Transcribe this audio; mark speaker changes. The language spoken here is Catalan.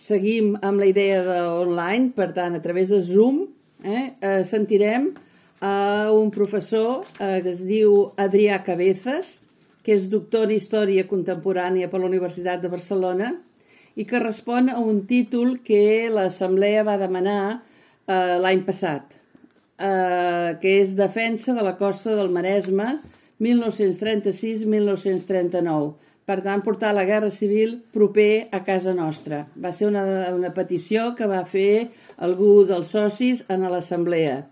Speaker 1: seguim amb la idea d'online, per tant, a través de Zoom, sentirem un professor que es diu Adrià Cabezas, que és doctor en Història Contemporània per la Universitat de Barcelona i que respon a un títol que l'Assemblea va demanar l'any passat, que és Defensa de la costa del Maresme 1936-1939. Per tant, portar la Guerra Civil proper a casa nostra. Va ser una petició que va fer algú dels socis en l'Assemblea.